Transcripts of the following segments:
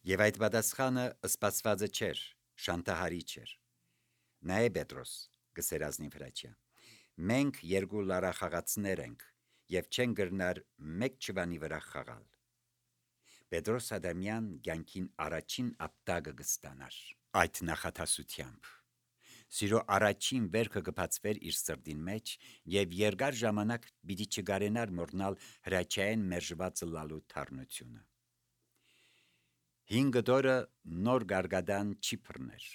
Եվ այդ պատասխանը սպասվածը չէր, շանտահարիչ էր։ Նա է Պետրոս, գսեր ազնիվ Հրաչյա։ Մենք երկու լարախաղացներ ենք եւ չեն գրնար մեկ ճվանի վրա խաղալ։ Պետրոս Ադամյան ցանկին առաջին ապտակը կստանար այդ նախատասությամբ։ Սիրո առաջին վերքը կբացվեր իր սրտին մեջ եւ երկար ժամանակ պիտի չգարենար մոռնալ Հրաչյային մերժված լալու թարնությունը։ 5 դորը նոր գարգադան չի բռներ։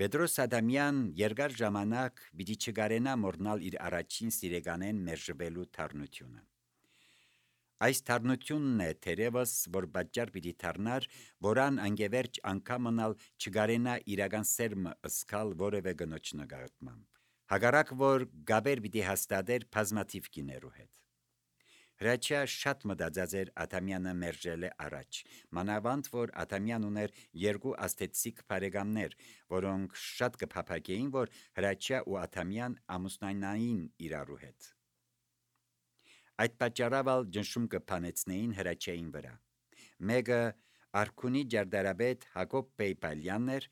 Պետրոս Ադամյան երկար ժամանակ պիտի չգարենա մոռնալ իր առաջին սիրեկանեն մերժվելու թարնությունը։ Այս թարնությունն է թերևս, որ պատճառ պիտի թարնար, որան անգևերջ անգամ մնալ չգարենա իրական սերմը ըսկալ որևէ գնոջ նկատմամբ։ Հակառակ որ գաբեր պիտի հաստատեր բազմաթիվ կիներու հետ։ Հրաչյա շատ մտածած էր Ադամյանը մերժել է առաջ, մանավանդ որ Ադամյան ուներ երկու աստեցիկ բարեկամներ, որոնք շատ կփափագեին, որ Հրաչյա ու Ադամյան ամուսնանային իրարու հետ։ Այդ պատճառով ջնշում կփանեցնեին Հրաչյային վրա։ Մեկը Արքունի ջարդարաբեդ Հակոբ Բեյ Բալյանն էր,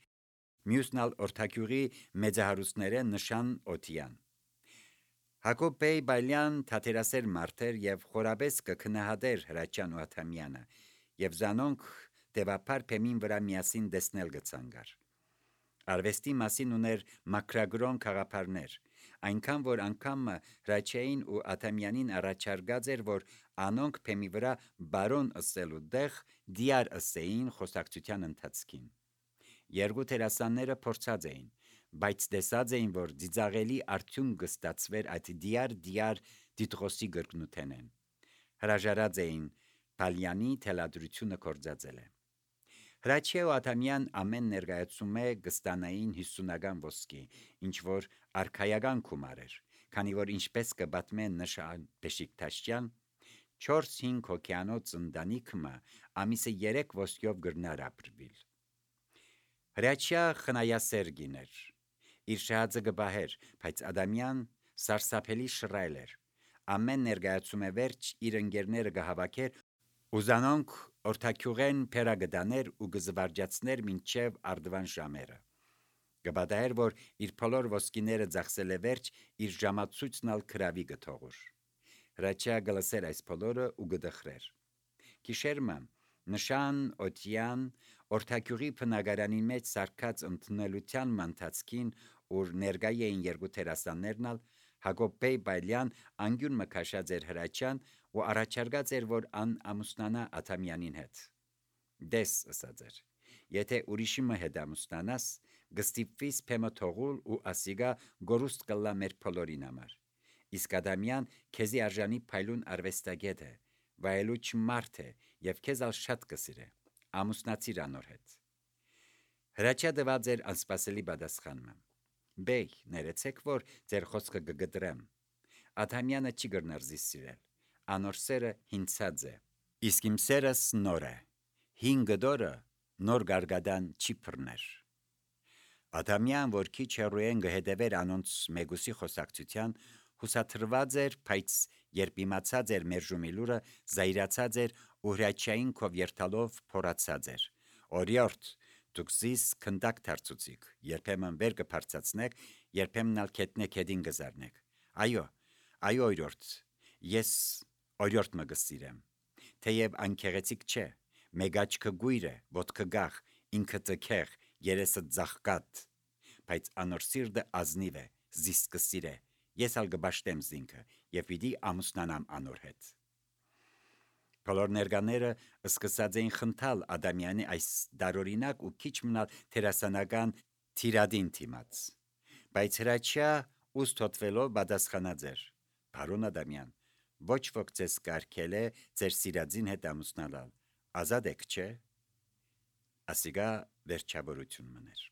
մյուսն ալ Օրթագյուղի մեծահարուստները Նշան Օթյան։ Հակոբ Բեյ Բալյան թատերասեր մարդ էր եւ խորաբես կքնահատեր Հրաչյան ու Ադամյանը, եւ զանոնք դեպապար փեմին վրա միասին դեսնել գցանգար։ Արվեստի մասին ուներ մակրագրոն խաղապարներ, այնքան որ անգամ Հրաչյային ու Ադամյանին առաջարկած էր, որ անոնք փեմի վրա բարոն ըսելու դեղ դիար ըսեին խոսակցության ընթացքին։ Երկու տերասանները փորձած էին, բայց տեսած էին, որ ծիծաղելի արդյունք կստացվեր այդ դիար դիդրոսի գրկնութենեն։ Հրաժարած էին Բալյանի թելադրությունը կործածել է։ Հրաչյա ու Ադամյան ամեն ներկայացում է կստանային 50-ական ոսկի, ինչ որ արքայական գումար էր, քանի որ ինչպես կպատմեն Նշան Բեշիկտաշյան, 4-5 հոգյանոց ընտանիքը ամիսը 3 ոսկյով գրնար ապրվիլ։ Հրաչյա խնայասեր գիներ, իր շահածը կբահեր, բայց Ադամյան սարսափելի շռայլ էր, ամեն ներկայացում է վերջ իր ընկերները կհավաքեր ու զանոնք Օրթագյուղեն փերագդաներ ու կզվարջացներ մինչև արդվան ժամերը։ Կպատահեր, որ իր բոլոր ոսկիները ծախսել է վերջ, իր ժամացույցն ալ քրավի կթողուր։ Հրաչյա գլսեր այս բոլորը ու կդխրեր։ Գիշերմը Նշան Օթյան Օրթագյուղի բնակարանի մեջ սարկած ընդունելության ընթացքին, ուր ներկայ էին երկու տերասաններն ալ, Հակոբ Բեյ Բալյան անգյուն մքաշած էր Հրաչյան ու առաջարկած էր, որ ան ամուսնանա Ադամյանին հետ։ Դես ըսած էր, եթե ուրիշի հետ ամուսնանաս, գստիպվիս փեմը թողուլ ու ասիգա գորուստ կլա մեր բոլորին համար։ Իսկ Ադամյան քեզի արժանի փայլուն արվեստագետ է, վայելուչ մարդ է եւ քեզ ալ շատ կսիրե։ Ամուսնացիր անոր հետ։ Հրաչյա դված էր անսպասելի պատասխանը։ Բեյ, ներեցեք, որ ձեր խոսքը կգտրեմ։ Ադամյանը չի գրնար զիս սիրել։ Անոր սերը հինցած է։ Իսկ իմ սերս նոր է։ 5 դորը նոր գարգադան չի բռներ։ Ադամյան, որ քիչ հեռուեն գհետևեր անոնց մեգուսի խոսակցության, հուսաթրված էր, բայց երբ իմացած էր մերժումի լուրը, զայրացած էր ու Հրաչյային քով երթալով փորացած էր։ Օրիորդ, դուք զիս քնդակ դարձուցիք, երբեմն վեր կբարձացնեք, երբեմն ալ քետնեք հետին գզարնեք։ Այո, օրիորդ, ես օրիորդ մը գսիրեմ։ Թեև անկեղեցիկ չէ, մեկ աչքը գույր է, ոտքը գախ, ինքը տքեղ, երեսը ծաղկատ, բայց անոր սիրտը ազնիվ է, զիս կսիրե, ես ալ կբաշտեմ զինքը եւ պիտի ամուսնանամ անոր հետ։ Բոլոր ներկաները սկսած էին խնդալ Ադամյանի այս դարօրինակ ու քիչ մնալ թերասանական թիրադին թիմաց, բայց Հրաչյա ուստ հոտվելով պատասխանած էր. Բարոն Ադամյան, ոչ ոք ձեզ կարգել է ձեր սիրածին հետ ամուսնանալ, ազատ եք, չէ։ Ասիգա վերջավորություն մներ։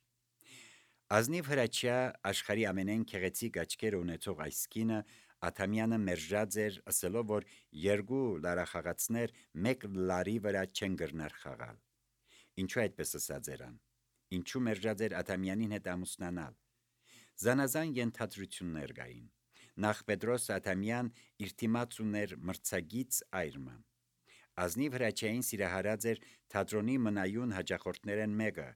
Ազնիվ Հրաչյա աշխարհի ամենայն քեղեցիկ աչքերը ունեցող այս կինը Ադամյանը մերժած էր, ասելով, որ երկու լարախաղացներ մեկ լարի վրա չեն գրնար խաղալ։ Ինչու այդպես ասած երան։ Ինչու մերժած էր Ադամյանին հետ ամուսնանալ։ Զանազան ենթադրություններ կային։ Նախ Պետրոս Ադամյան իր դիմաց ուներ մրցակից այրմը։ ազնիվ Հրաչյային սիրահարած էր թատրոնի մնայուն հաճախորդներեն մեկը,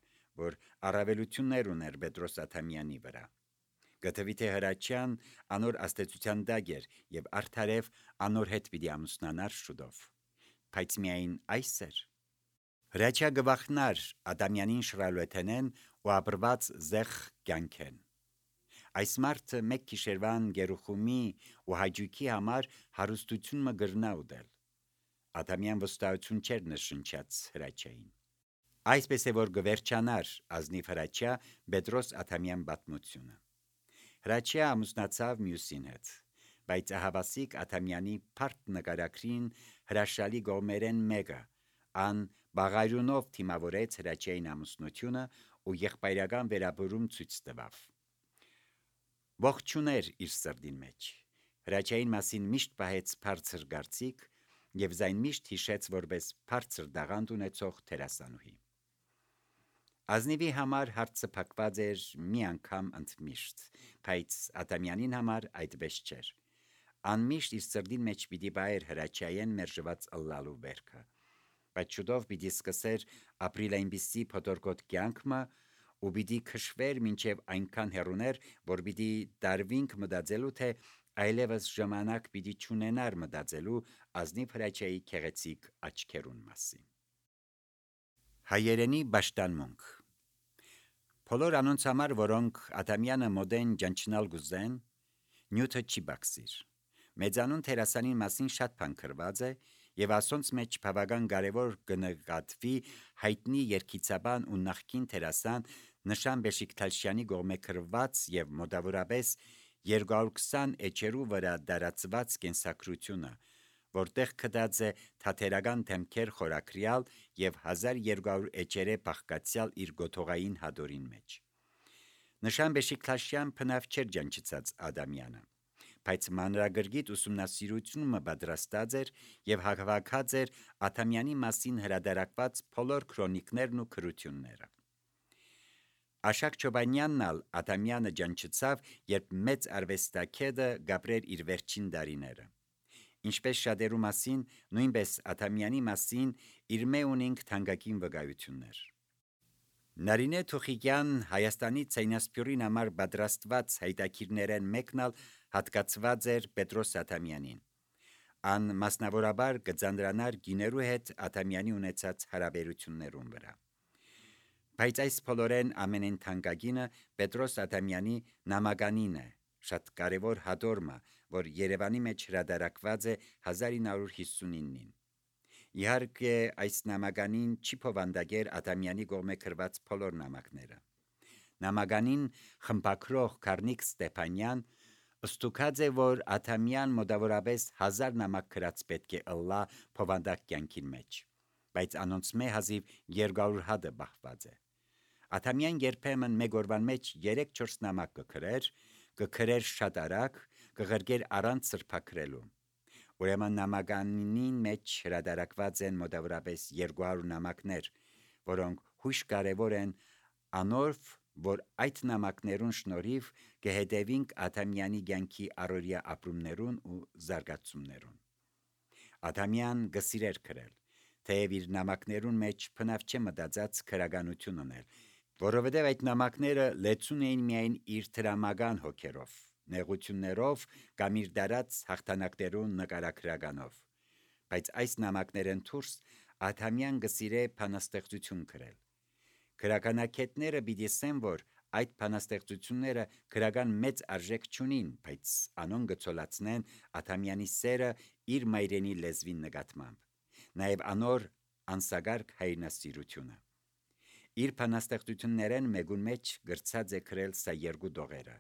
որ առավելություններ ուներ Պետրոս Աթամյանի վրա։ Գտվի թե Հրաչյան անոր աստեցության դագ էր եւ արդարև անոր հետ պիտի ամուսնանար շուտով։ Բայց միայն այս էր։ Հրաչյա գվախնար Ադամյանին շրալուեթենեն ու ապրված զեղ կյանքեն։ Այս մարդը մեկ գիշերվան գերուխումի ու հաջուկի համար հարստություն մը գրնա ուդել։ Ադամյան վստահություն չէր նշնչած Հրաչյային։ Այսպես է որ գվերջանար ազնիվ Հրաչյա Պետրոս Աթամյան պատմությունը։ Հրաչյա ամուսնացավ մյուսին հետ, բայց ահավասիկ Աթամյանի փարտ նկարագրին հրաշալի գոմերեն մեկը, ան բաղարյունով թիմավորեց Հրաչյային ամուսնությունը ու եղբայրական վերաբերում ցույց տվավ։ Ողջուներ իր սրդին մեջ։ Հրաչյային մասին միշտ պահեց բարձր գարցիկ եւ զայն միշտ հիշեց որպես բարձր դաղանդ ունեցող թերասանուհի։ Ազնիվի համար հարցը փակված էր մի անգամ ընդմիշտ, բայց Ադամյանին համար այդպես չէր։ Անմիշտ իր սրդին մեջ պիտի բայեր Հրաչյային մերժված ըլլալու վերքը, բայց շուտով պիտի սկսեր ապրիլ այնպիսի փոթորկոտ կյանքը ու պիտի քշվեր մինչև այնքան հեռուներ, որ պիտի դարվինք մտածելու թե այլևս ժամանակ պիտի չունենար մտածելու ազնիվ Հրաչյայի քեղեցիկ աչքերուն մասին։ Հայերենի պաշտանմունք։ Բոլոր անոնց համար, որոնք Ադամյանը մոդեն ջանչնալ գուզեն, նյութը չի բացիր։ Մեծանուն թերասանին մասին շատ բան գրված է եւ ասոնց մեջ բավական կարեւոր կնկատվի հայտնի երգիծաբան ու նախկին թերասան Նշան Բեշիկտաշյանի գոմե գրված եւ մոտավորապես 220 էջերու վրա դարածված կենսակրությունը, որտեղ կդած է թաթերական թեմքեր խորակրյալ եւ 1200 էջերե բաղկացյալ իր գոթողային հադորին մեջ։ Նշան Բեշիկտաշյան փնավ չէր ջանչծած Ադամյանը, բայց մանրագրգիտ ուսումնասիրությունը պատրաստած էր եւ հաղվակած էր Աթամյանի մասին հրադարակված բոլոր քրոնիկներն ու գրությունները։ Աշակ Չոբանյանն ալ Ադամյանը ջանչծավ, երբ մեծ արվեստագետը գաբրեր իր վերջին դարիները։ Ինչպես շատերու մասին, նույնպես Ադամյանի մասին իր մե ունենք թանկագին վկայություններ։ Նարինե Թուխիկյան Հայաստանի ցայնասպյուրին համար պատրաստված հայտակիրներեն մեկն ալ հատկացված էր Պետրոս Աթամյանին։ Ան մասնավորաբար կձանդրանար գիներու հետ Աթամյանի ունեցած հարաբերություններուն վրա։ Բայց այս բոլորեն ամենեն թանկագինը Պետրոս Աթամյանի նամականին է, շատ կարևոր հադորմը, որ Երևանի մեջ հրադարակված է 1959-ին։ Իհարկե այս նամականին չի փոխանդակեր Աթամյանի կողմէ գրված բոլոր նամակները։ Նամականին խմբակրող Կարնիկ Ստեփանյան ստուգած է, որ Աթամյան մոտավորապես 1000 նամակ գրած պետք է ըլլա փոխանդակ կյանքին մեջ, բայց անոնց մե հազիվ 200 հատը բախված է։ Աթամյան երբեմն մեկ օրվան մեջ 3-4 նամակ կգրեր շատ արագ, կղրկեր առանց սրբակրելու։ Ուրեմն նամականին մեջ հրադարակված են մոտավորապես 200 նամակներ, որոնք հույժ կարևոր են անոր, որ այդ նամակներուն շնորհիվ կհետևինք Աթամյանի կյանքի առօրյա ապրումներուն ու զարգացումներուն։ Աթամյան գսիրեր գրել, թեև իր նամակներուն մեջ փնավ չէ մտածած քրագանություն ունել, որովհետև այդ նամակները լեցուն էին միայն իր դրամական հոգերով, նեղություններով կամ իր դարած հաղթանակներուն նկարագրականով, բայց այս նամակներեն դուրս Աթամյան գսիրե բանաստեղծություն գրել։ Գրականագետները պիտի ասեն, որ այդ բանաստեղծությունները գրական մեծ արժեք չունին, բայց անոն գծոլացնեն Աթամյանի սերը իր մայրենի լեզվին նկատմամբ, նաև անոր անսագարկ հայրենասիրությունը։ Իր բանաստեղծություններեն մեկուն մեջ գրծած է գրել սա երկու դողերը.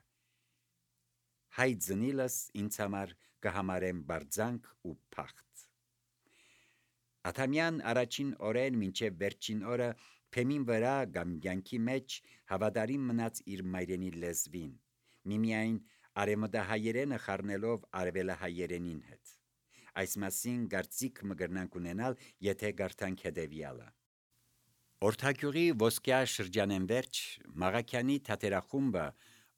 Հայ ձնիլս ինձ համար կհամարեմ բարձանք ու փախտ։ Աթամյան առաջին օրեն մինչև վերջին օրը փեմին վրա կամ կյանքի մեջ հավատարիմ մնաց իր մայրենի լեզվին, միմիայն արեմտահայերենը խառնելով արևելահայերենին հետ։ Այս մասին կարծիք մգրնանք ունենալ, եթե գարտանք հետևյալը։ Օրթագյուղի ոսկյա շրջանեն վերջ Մաղաքյանի թատերախումբը,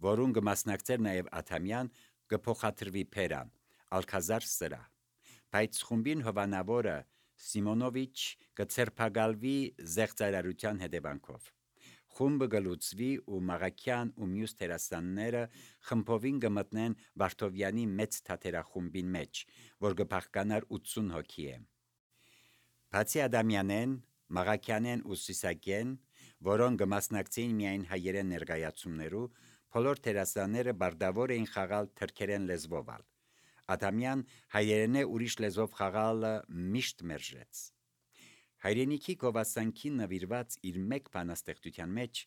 որուն կմասնակցեր նաև Աթամյան, կփոխադրվի Փերան, Ալքազար սրահ, բայց խումբին հովանավորը Սիմոնովիչ կցերփակալվի զեղծարարության հետևանքով։ Խումբը գլուծվի ու Մաղաքյան ու մյուս տերասանները խմբովին կմտնեն Վարդովյանի մեծ թատերախումբին մեջ, որ կփախկանար 80 հոգի է։ Բացի Ադամյանեն, Մաղաքյանեն ու Սիսակեն, որոնք կմասնակցեին միայն հայերեն ներկայացումներու, բոլոր տերասանները բարդավոր էին խաղալ թրքերեն լեզվով։ Ադամյան հայերենե ուրիշ լեզվով խաղալը միշտ մերժեց։ Հայրենիքի գովասանքին նվիրված իր մեկ բանաստեղծության մեջ,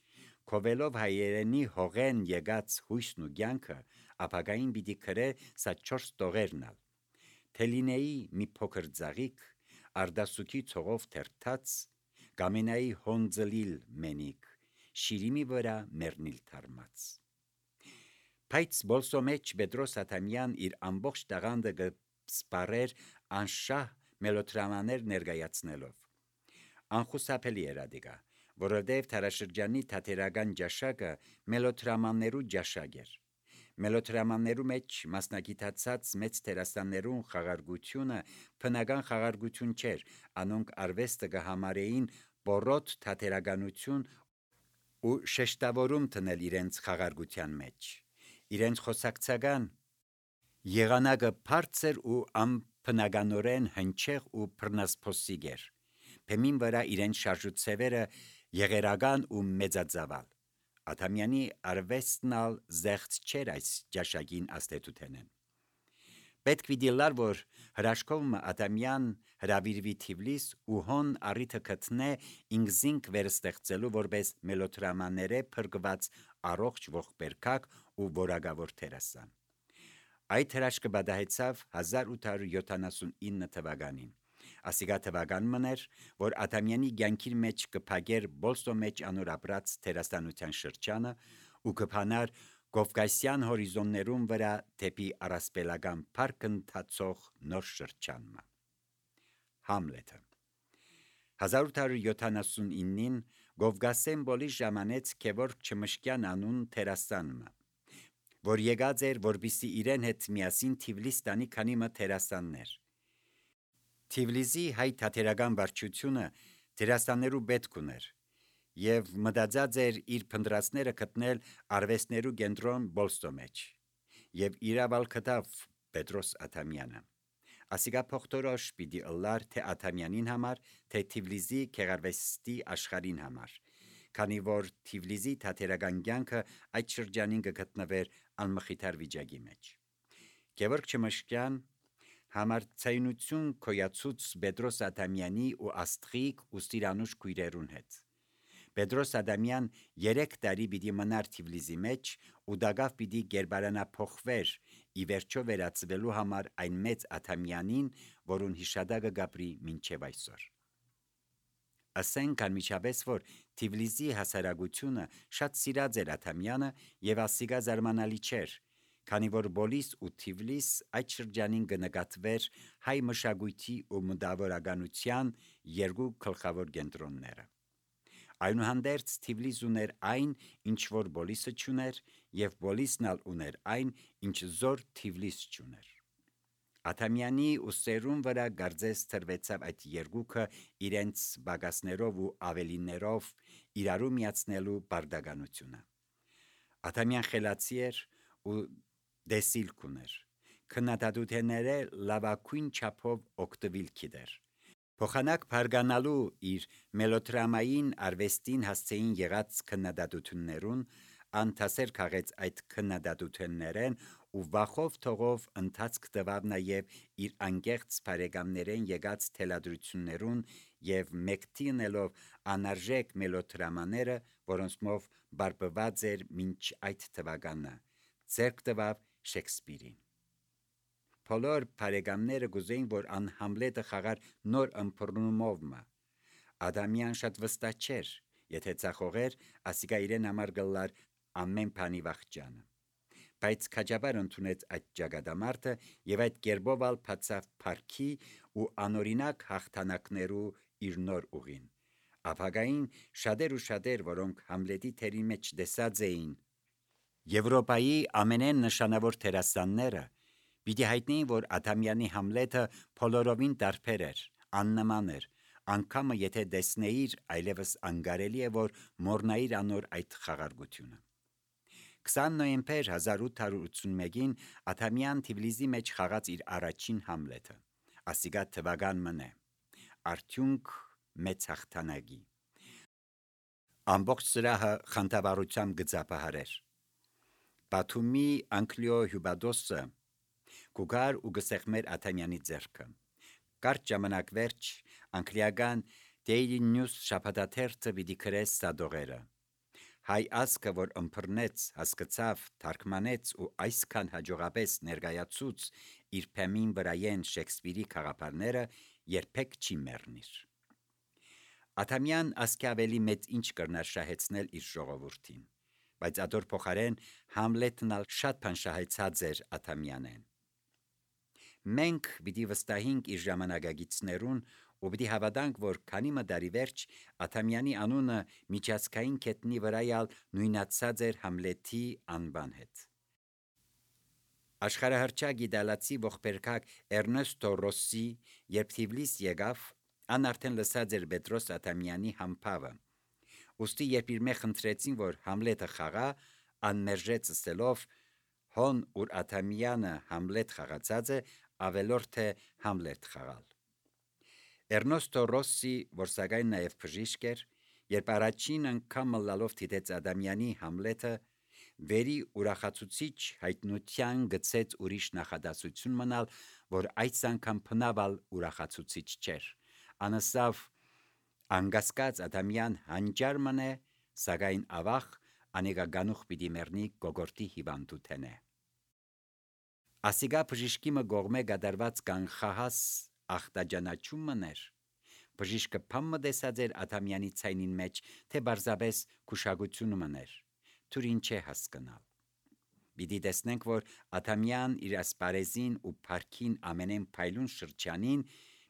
քովելով հայերենի հողեն եկած հույսն ու կյանքը, ապագային պիտի գրե սա 4 տողերն ալ։ Թելինեի մի փոքր ձաղիկ, արդասուքի ցողով թերթած, գամենայի հոնձլիլ մենիկ, շիրիմի վրա մեռնիլ թարմած։ Բայց բոլսո մեջ Պետրոս Ադամյան իր ամբողջ տաղանդը կսպարեր անշահ մելոդրամաներ ներկայացնելով։ Անխուսափելի էր ադիգա, որովհետև թարաշրջանի թատերական ջաշակը մելոդրամաներու ջաշակ էր։ Մելոդրամաներու մեջ մասնագիտացած մեծ տերասաններուն խաղարկությունը բնական խաղարկություն չէր, անոնք արվեստը կհամարեին բորոտ թատերականություն ու շեշտավորում տնել իրենց խաղարկության մեջ։ Իրենց խոսակցական եղանակը բարձր ու անբնականորեն հնչեղ ու բռնասփոսիկ էր։ Բեմին վրա իրենց շարժուցևերը եղերական ու մեծածավալ։ Ադամյանի արվեստն ալ զեղծ չէր այս ջաշակին աստետութենեն։ Պետք պիտի լար, որ հրաշքովը Ադամյան հրավիրվի Թիֆլիս ու հոն առիթը գտնե ինքզինք վերստեղծելու որպես մելոդրամաները փրկված առողջ ողբերգակ ու որակավոր տերասան։ Այդ հրաշքը բադահեցավ 1879 թվականին։ Ասիգա թվականն էր, որ Ադամյանի կյանքի մեջ կփակեր բոլսո մեջ անոր ապրած տերասանության շրջանը ու կփանար Կովկասյան հորիզոններուն վրա դեպի առասպելական փառք ընթացող նոր շրջանը։ Համլետը 1879-ին Կովկասեն բոլի ժամանեց Գևորգ Չմշկյան անուն տերասանը, որ եկած էր, որպեսզի իրեն հետ միասին Թիֆլիս տանի քանի մը տերասաններ։ Թիֆլիսի հայ թատերական վարչությունը տերասաններու պետք ուներ եւ մտածած էր իր փնտրածները գտնել արվեստներու կենտրոն բոլստո մեջ եւ իրավալ գտավ Պետրոս Ադամյանը։ Ասիգա փոխտորոշ պիտի ըլլար թե Ադամյանին համար, թե Թիֆլիսի գեղարվեստի աշխարհին համար, քանի որ Թիֆլիսի թատերական կյանքը այդ շրջանին կգտնվեր անմխիթար վիճակի մեջ։ Գևորգ Չմշկյան համարձայնություն կոյացուց Պետրոս Ադամյանի ու Աստղիկ ու Սիրանուշ քույրերուն հետ։ Պետրոս Ադամյան 3 տարի պիտի մնար Թիֆլիսի մեջ ու դակավ պիտի գերբարանափոխվեր ի վերջո վերածվելու համար այն մեծ Ադամյանին, որուն հիշադակը գապրի մինչև այսօր։ Ասենք անմիջապես, որ Թիֆլիսի հասարակությունը շատ սիրած էր Ադամյանը եւ ասիգա զարմանալի չէր, քանի որ Բոլիս ու Թիֆլիս այդ շրջանին կնկատվեր հայ մշակույթի ու մտավորականության երկու գլխավոր կենտրոնները։ Այնուհանդերձ Թիֆլիս ուներ այն, ինչ որ Բոլիսը չուներ, եւ Բոլիսն ալ ուներ այն, ինչ զոր Թիֆլիս չուներ։ Ադամյանի ու սերուն վրա գարձես թրվեցավ այդ երկուքը իրենց բագասներով ու ավելիներով իրարու միացնելու բարդականությունը։ Ադամյան խելացի էր ու դեսիլք ուներ, քննադատությունները լավագույն չափով օգտվել գիտեր։ Փոխանակ բարգանալու իր մելոդրամային արվեստին հասցեին եղած քննադատություններուն, անթասեր քաղեց այդ քննադատություններեն ու վախով թողով ընթացք տվավ նաև իր անկեղծ բարեկամներեն եկած թելադրություններուն եւ մեկտինելով անարժեք մելոդրամաները, որոնցմով բարբված էր մինչ այդ թվականը, ձեռք տվավ Շեքսպիրին։ Բոլոր բարեկամները գուզեին, որ ան Համլետը խաղար նոր ըմբռնումով մը։ Ադամյան շատ վստահ չէր, եթե ցախողեր, ասիկա իրեն համար գլար ամեն բանի վախճանը։ Բայց քաջաբար ընդունեց այդ ճակատամարտը եւ այդ կերպով ալ բացավ փառքի ու անօրինակ հաղթանակներու իր նոր ուղին։ Ապագային շատեր ու շատեր, որոնք Համլետի թերի մեջ դեսած էին Եվրոպայի ամենեն նշանավոր տերասանները, պիտի հայտնեին, որ Ադամյանի Համլետը փոլորովին տարբեր էր, աննման էր, անգամը եթե տեսնեիր, այլևս անգարելի է, որ մոռնայիր անոր այդ խաղարկությունը։ 20 նոյեմբեր 1881-ին Աթամյան Թիֆլիսի մեջ խաղաց իր առաջին Համլեթը, ասիգա թվական մնե, արդյունք մեծ հաղթանակի։ Ամբողջ սրահը խանդավառությամբ գծապահարեր։ Բաթումի Անկլիո Հյուբադոսը կուգար ու գսեղմեր Աթամյանի ձեռքը։ Կարճ ժամանակ վերջ անգլիական Daily News շաբաթաթերթը պիտի գրես սադողերը։ Հայ ազգը, որ ըմբռնեց, հասկացավ, թարգմանեց ու այսքան հաջողապես ներկայացուց իր փեմին վրայեն Շեքսպիրի խաղապարները, երբեք չի մեռնիր։ Աթամյան ասկի ավելի մեծ ինչ կրնար շահեցնել իր ժողովրդին, բայց ադոր փոխարեն Համլետն ալ շատ բան շահեցած էր Աթամյանեն։ Մենք պիտի վստահենք իր ժամանակագիցներուն ու պիտի հավատանք, որ քանի մդարի վերջ Աթամյանի անունը միջազգային կետնի վրայալ նույնացած էր Համլետի անվան հետ։ Աշխարհահռչակ իտալացի ողբերգակ Էրնեստո Ռոսսի երբ Թիֆլիս եկավ, ան արդեն լսած էր Պետրոս Աթամյանի համբավը։ Ուստի երբ իր մեջ խնդրեցին, որ Համլետը խաղա, ան մերժեց ասելով հոն ուր Աթամյանը Համլետ խաղացած է, ավելորդ է Համլետ խաղալ։ Էրնեստո Ռոսսի, որ սակայն նաև բժիշկ էր, երբ առաջին անգամ լալով դիտեց Աթամյանի Համլետը, վերի ուրախացուցիչ հայտնության գծեց ուրիշ նախադասություն մնալ, որ այս անգամ փնավալ ուրախացուցիչ չէր։ Անասավ անգասկած Աթամյան հանջար մնե, սակայն ավաղ անեգա գանուխ պիտի մեռնի գոգորտի հիվանդութենե։ Ասիգա բժիշկի մը գողմե գդարված կանխահաս ախտաջանաչում մներ։ Բժիշկը փամը դեսած էր Աթամյանի ցայնին մեջ, թե բարձաբես քուշագությունը մներ, թուր ինչ է հասկանալ։ Պիտի տեսնենք, որ Աթամյան իր ասպարեզին ու փարքին ամենեն փայլուն շրջանին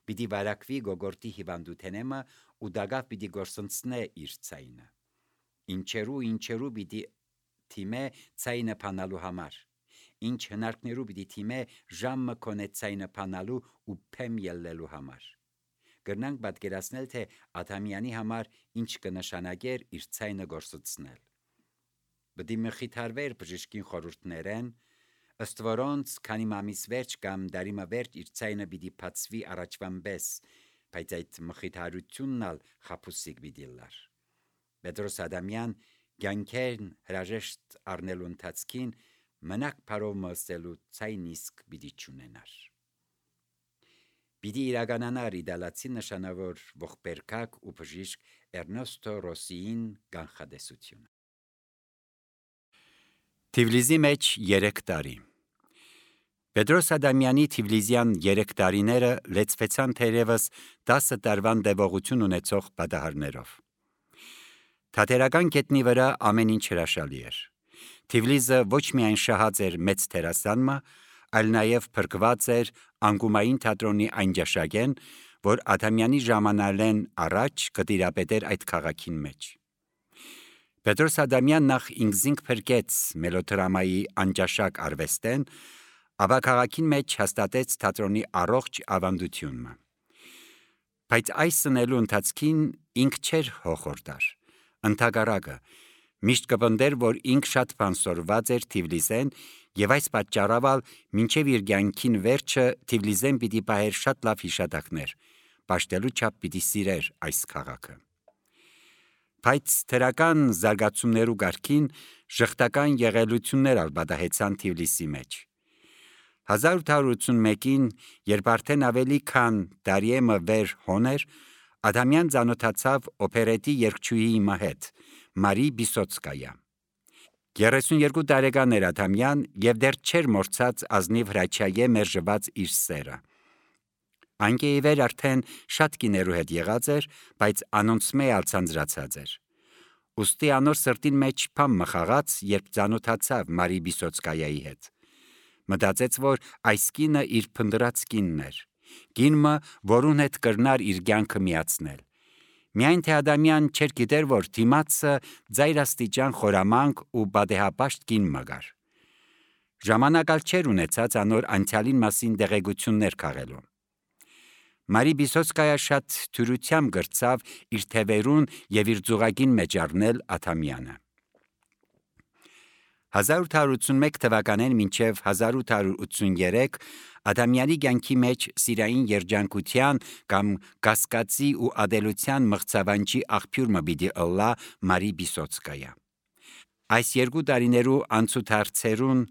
պիտի վարակվի գոգորտի հիվանդութենեմը ու դագավ պիտի գործընծնե իր ցայնը։ Ինչերու պիտի թիմե ցայնը փանալու համար։ Ինչ հնարքներու պիտի թիմե ժամը կոնե ցայնը փանալու ու փեմ ելնելու համար։ Կրնանք պատկերացնել, թե Աթամյանի համար ինչ կնշանակեր իր ցայնը գործընծնել։ Պիտի մխիթարվեր բժշկին խորհուրդներեն, ըստ որոնց քանի մամիս վերջ կամ դարիմը վերջ իր ցայնը պիտի բացվի առաջվան պես, բայց այդ մխիթարությունն ալ խափուսիկ պիտի լար։ Պետրոս Աթամյան կյանքեն հրաժեշտ առնելու ընթացքին մնակ բարով մսելու ցայն իսկ պիտի չունենար։ Պիտի իրականանար իտալացի նշանավոր ողբերգակ ու բժիշկ Էրնեստո Ռոսսիին կանխադեսությունը։ Թիֆլիսի մեջ 3 տարի։ Պետրոս Աթամյանի Թիֆլիսյան 3 տարիները լեցվեցան թերևս 10 տարվան տևողություն ունեցող պատահարներով։ Թատերական կետնի վրա ամեն ինչ հրաշալի էր։ Թիֆլիսը ոչ միայն շահած էր մեծ թերասանմը, այլ նաև փրկված էր անկումային թատրոնի այն ջաշակեն, որ Աթամյանի ժամանալեն առաջ կտիրապետեր այդ քաղաքին մեջ։ Պետրոս Աթամյան նախ ինքզինք փրկեց մելոդրամայի անջաշակ արվեստեն, ապա քաղաքին մեջ հաստատեց թատրոնի առողջ ավանդությունը։ Բայց այս սնելու ընթացքին ինք չէր հոխորտար, ընդհակառակը միշտ կպնդեր, որ ինք շատ բան սորված էր Թիֆլիսեն եւ այս պատճառով մինչեւ իր կյանքին վերջը Թիֆլիսեն պիտի պահեր շատ լավ հիշատակներ, պաշտելու չափ պիտի սիրեր այս քաղաքը։ Բայց թերական զարգացումներու գարքին ժխտական եղելություններ ալ պատահեցան Թիֆլիսի մեջ։ 1881-ին, երբ արդեն ավելի քան տարիեմը վեր հոներ, Աթամյան ծանոթացավ օպերետի երգչուհի հետ, Մարի Բիսոցկայա։ 32 տարեկան էր Աթամյան եւ դեռ չէր մորցած ազնիվ հրաչայե մերժված իր սերը։ Անկեիվեր արդեն շատ կիներու հետ եղած էր, բայց անոնցմե ալցանձրացած էր։ Ուստի անոր սրտին մեջ փամ մխաղաց, երբ ծանոթացավ Մարի Բիսոցկայայի հետ։ Մտածեց, որ այս կինը իր փնդրած կինն էր, կինը, որուն հետ կրնար իր կյանքը միացնել։ Միայն թե Աթամյան չէր գիտեր, որ դիմացը ծայրաստիճան խորամանկ ու բադեհապաշտ կին մգար։ Ժամանակալ չէր ունեցած անոր անցյալին մասին դեղեցություններ քաղելու։ Մարի Բիսոցկայա շատ թյուրությամբ գրծավ իր թևերուն եւ իր ձուղակին մեջ առնել Աթամյանը։ 1881 թվականին մինչև 1883 Աթամյանի կյանքի մեջ սիրային երջանկության կամ կասկածի ու ադելության մղձավանջի աղբյուրը պիտի ըլլա Մարի Բիսոցկայա։ Այս երկու տարիներու անցուդարձերուն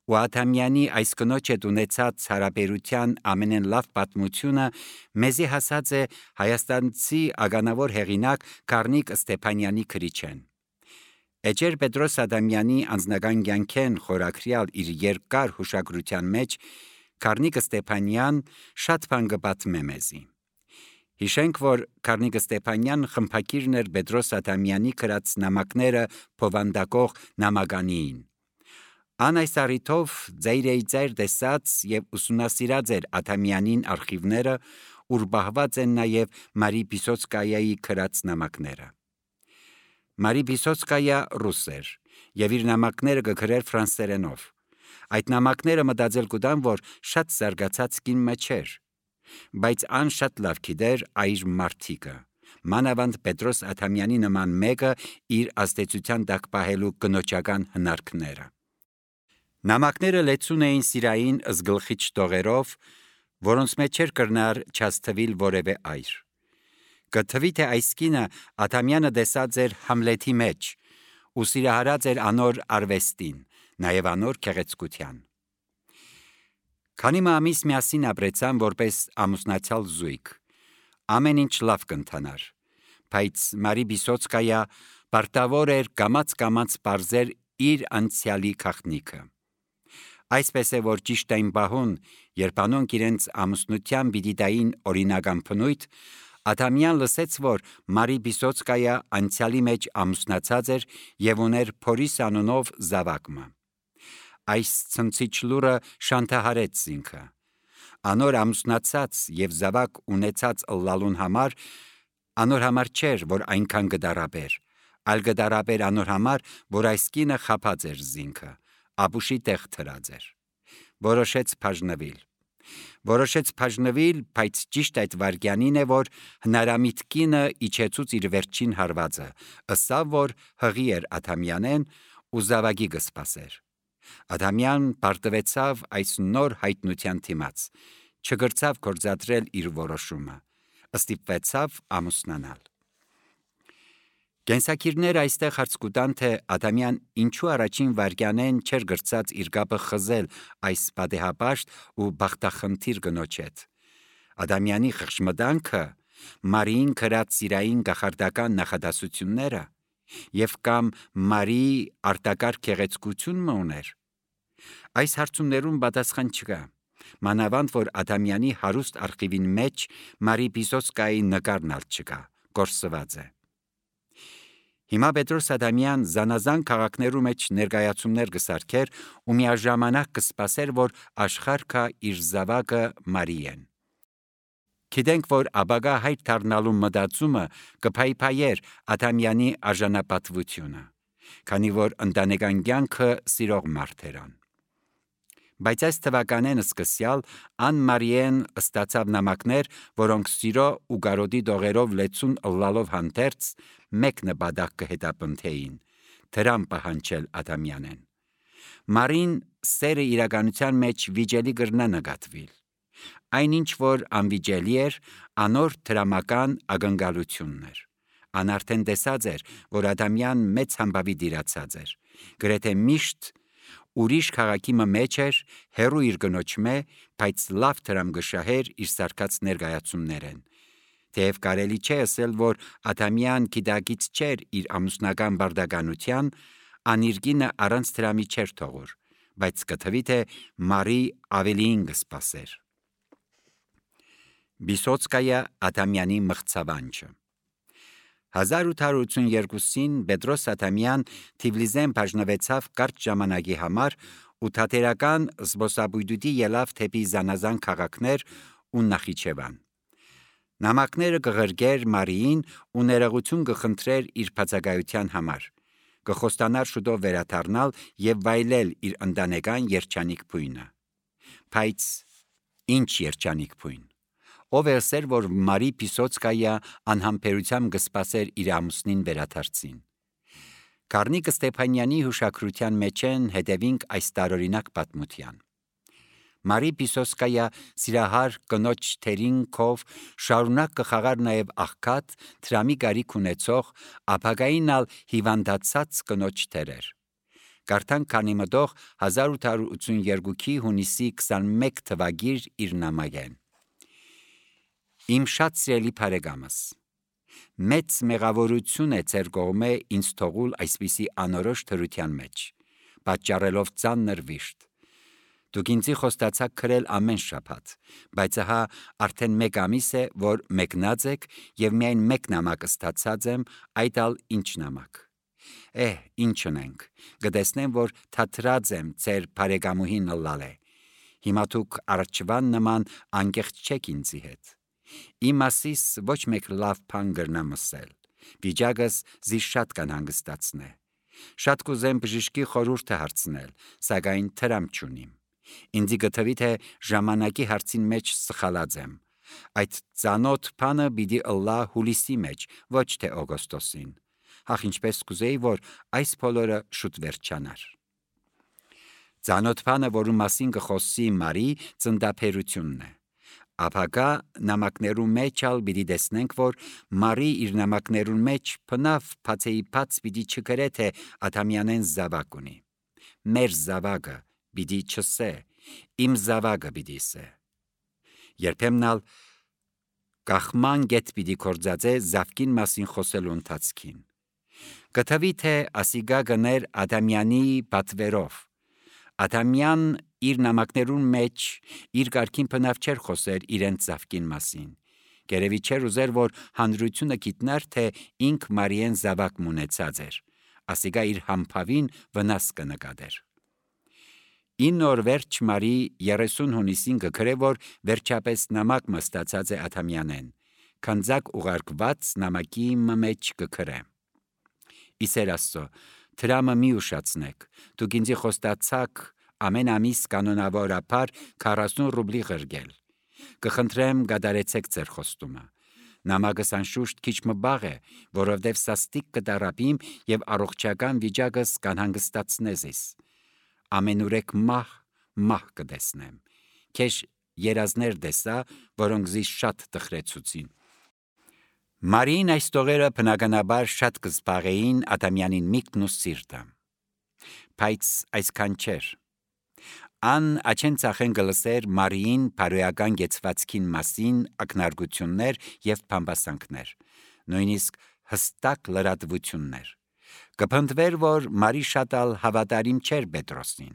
ու Աթամյանի այս կնոջ հետ ունեցած հարաբերության ամենեն լավ պատմությունը մեզի հասած է հայաստանցի ագանավոր հեղինակ Գառնիկ Ստեփանյանի քրիչեն։ Էջեր Պետրոս Ադամյանի անձնական կյանքեն խորագրյալ իր երկար հուշագրության մեջ Գառնիկ Ստեփանյան շատ բան կպատմե մեզի։ Հիշենք, որ Գառնիկ Ստեփանյան խմբակիրն էր Պետրոս Ադամյանի գրած նամակները փոխանդակող նամականին։ Ան այս առիթով ձայր տեսած եւ ուսումնասիրած էր Աթամյանին արխիվները, ուր բահված են նաեւ Մարի Բիսոցկայայի գրած նամակները։ Մարի Բիսոցկայա ռուս էր եւ իր նամակները կգրեր ֆրանսերենով։ Այդ նամակները մտածել կուտան, որ շատ զարգացած կին մեջ էր, բայց ան շատ լավ գիտեր այր մարդիկը, մանավանդ Պետրոս Աթամյանի նման մեկը իր ազդեցության տակ պահելու կնոջական հնարքները։ Նամակները լեցուն էին սիրային զգլխիչ տողերով, որոնց մեջ էր կրնար չաստվիլ որևէ այր։ Կթվի թե այս կինը Աթամյանը տեսած էր Համլետի մեջ ու սիրահարած էր անոր արվեստին, նաև անոր գեղեցկության։ Քանի ամիս միասին ապրեցան որպես ամուսնացյալ զույգ, ամեն ինչ լավ կընթանար, բայց Մարի Բիսոցկայա պարտավոր էր կամաց պարզեր իր անցյալի գաղտնիքը։ Այսպես է, որ ճիշտ այն բահուն, երբ անոնք իրենց ամուսնության պիտի տային օրինական բնույթ, Աթամյան լսեց, որ Մարի Բիսոցկայա անցյալի մեջ ամուսնացած էր եւ ուներ Փորիս անունով զավակը։ Այս ցնցիչ լուրը շանթահարեց ինքը։ Անոր ամուսնացած եւ զավակ ունեցած ըլլալուն համար անոր համար չէր, որ այնքան գդարաբեր, այլ գդարաբեր անոր համար, որ այս կինը խափած էր զինքը, ապուշի տեղ թրած էր։ Որոշեց բաժնվել, բայց ճիշտ այդ վարքյանին է, որ հնարամիտ կինը իջեցուց իր վերջին հարվածը, ըսավ, որ հղի էր Աթամյանեն ու զավակի կսպասեր։ Աթամյան պարտվեցավ այս նոր հայտնության դիմաց, չգրցավ գործադրել իր որոշումը, ստիպվեցավ ամուսնանալ։ Կենսակիրները այստեղ հարց կուտան, թե Աթամյան ինչու առաջին վարքյանեն չէր գրծած իր կապը խզել այս պատեհապաշտ ու բախտախնդիր կնոջ հետ։ Ադամյանի խղճմտանքը, Մարիին գրած սիրային կախարդական նախադասությունները եւ կամ Մարի արտակարգ գեղեցկությունը ուներ։ Այս հարցումներուն պատասխան չկա, մանավանդ որ Ադամյանի հարուստ արխիվին մեջ Մարի Բիսոցկայի նկարն ալ չկա, կորսված է։ Հիմա Պետրոս Ադամյան զանազան քաղաքներու մեջ ներկայացումներ կսարքեր ու միաժամանակ կսպասեր, որ աշխարհը իր զավակը Մարիեն։ Գիտենք, որ ապագա հայր դառնալու մտածումը կփայփայեր Աթամյանի արժանապատվությունը, քանի որ ընտանեկան կյանքը սիրող մարդ էր ան։ Բայց այս թվականեն սկսյալ Ան Մարիեն ստացավ նամակներ, որոնք սիրո ու գարոդի դողերով լեցուն ըլլալով հանդերձ մեկ նպատակ կհետապնդեին՝ դրամ պահանջել Աթամյանեն։ Մարին սերը իրականության մեջ վիճելի կրնա նկատվիլ։ Այնինչ որ անվիճելի էր, անոր դրամական ակնկալությունն էր։ Ան արդեն տեսած էր, որ Աթամյան մեծ համբավի դիրացած էր, գրեթե միշտ ուրիշ քաղաքի մեջ էր, հերու իր կնոջ մե, բայց լավ դրամ գշահեր իր սարկած ներկայացումներեն։ Թեև կարելի չէ ասել, որ Աթամյան գիտակից չէր իր ամուսնական բարդականության, անիրգինը առանց դրամի չէր թողուր, բայց կթվի թե Մարի ավելին կսպասեր։ Բիսոցկայա Աթամյանի մղձավանջը 1882-ին Պետրոս Աթամյան Թիֆլիսեն բաժնվեցավ կարճ ժամանակի համար ու թատերական զբոսաբույդուտի ելավ թեպի զանազան քաղաքներ ու Նախիջևան։ Նամակները կղրգեր Մարիին ու ներողություն կխնդրեր իր բացակայության համար, կխոստանար շուտով վերադառնալ եւ վայելել իր ընտանեկան երջանիկ բույնը։ Բայց ինչ երջանիկ բույն։ ով էսեր, որ Մարի Պիսոցկայա անհամբերությամբ կսպասեր իր ամուսնին վերադարձին։ Գառնիկ Ստեփանյանի հուշագրության մեջ են հետևինք այս տարօրինակ պատմության։ Մարի Պիսոցկայա սիրահար կնոջ թերինքով շարունակ կխաղար նաև աղքատ, դրամի գարիք ունեցող, ապագայինալ հիվանդացած կնոջ թերեր։ Կարդանք քանի մտող 1882-ի հունիսի 21 թվագիր իր նամակեն։ Իմ շատ սիրելի բարեկամս, մեծ մեղավորություն է ձեր կողմէ ինձ թողուլ այսպիսի անորոշ թրության մեջ, պատճառելով ծանր վիշտ։ Դուք ինձի խոստացաք քրել ամեն շաբաթ, բայց ահա արդեն 1 ամիս է, որ մեկնած եք եւ միայն 1 նամակ ստացած եմ, այդ ալ ինչ նամակ։ Ինչ ունենք, կտեսնեմ, որ թատրած եմ ձեր բարեկամուհին լալե։ Հիմա դուք առաջվան նման անկեղծ չեք ինձի հետ։ Իմ ասիս ոչ մեկ լավ բան գրնամ ասել, վիճակս զիս շատ կանհանգստացնե։ Շատ կուզեմ բժշկի խորհուրդը հարցնել, սակայն տրամ չունիմ։ Ինձի գտվի թե ժամանակի հարցին մեջ սխալած եմ։ Այդ ծանոթ բանը պիտի ըլլա հուլիսի մեջ, ոչ թե օգոստոսին։ Հախ ինչպես կուզեի, որ այս բոլորը շուտ վերջանար։ Ծանոթ բանը, որում մասին կխոսի Մարի, ծննդաբերությունն է։ Ապագա նամակներու մեջ ալ պիտի տեսնենք, որ Մարի իր նամակներուն մեջ բնավ բացեի բաց պիտի չգրե թե Ադամյանեն զավակ ունի։ Մեր զավակը պիտի չսե, իմ զավակը պիտի սե։ Երբեմն ալ կախման գետ պիտի կործածե զավկին մասին խոսելու ընթացքին։ Գտավի թե ասիգա գներ Ադամյանի պատվերով։ Ադամյան իր նամակներուն մեջ իր կարգին բնավ չեր խոսեր իրենց զավկին մասին։ Գերևի չեր ուզեր, որ հանրությունը գիտնար, թե ինք Մարիեն զավակ մունեցած էր։ Ասիգա իր համբավին վնաս կնկատեր։ 9 օր վերջ Մարի 30 հունիսին կգրե, որ վերջապես նամակ մստացած է Ադամյանեն, քանձակ ուղարկված նամակի մեջ կգրե։ Իսեր Աստծո, դրամը մի ուշացնեք, դուք ինձի խոստացաք ամեն ամիս կանոնավորաբար 40 ռուբլի ղրգել։ Կխնդրեմ գադարեցեք ձեր խոստումը։ Նամակս անշուշտ քիչ մբաղ է, որովհետև սաստիկ կդարապիմ եւ առողջական վիճակս կանհանգստացնե զիս։ Ամենուրեք մահ կտեսնեմ։ Քեզ երազներ տեսա, որոնք զիս շատ տխրեցուցին։ Մարին այս տողերը բնականաբար շատ կզբաղեին Ադամյանին միտքն ու սիրտը։ Բայց այսքան չէր։ Ան աչեն ծախեն գլսեր Մարիին բարոյական գեցվածքին մասին ակնարկություններ եւ բամբասանքներ, նույնիսկ հստակ լրատվություններ։ Կփնտվեր, որ Մարի շատ ալ հավատարիմ չէր Պետրոսին։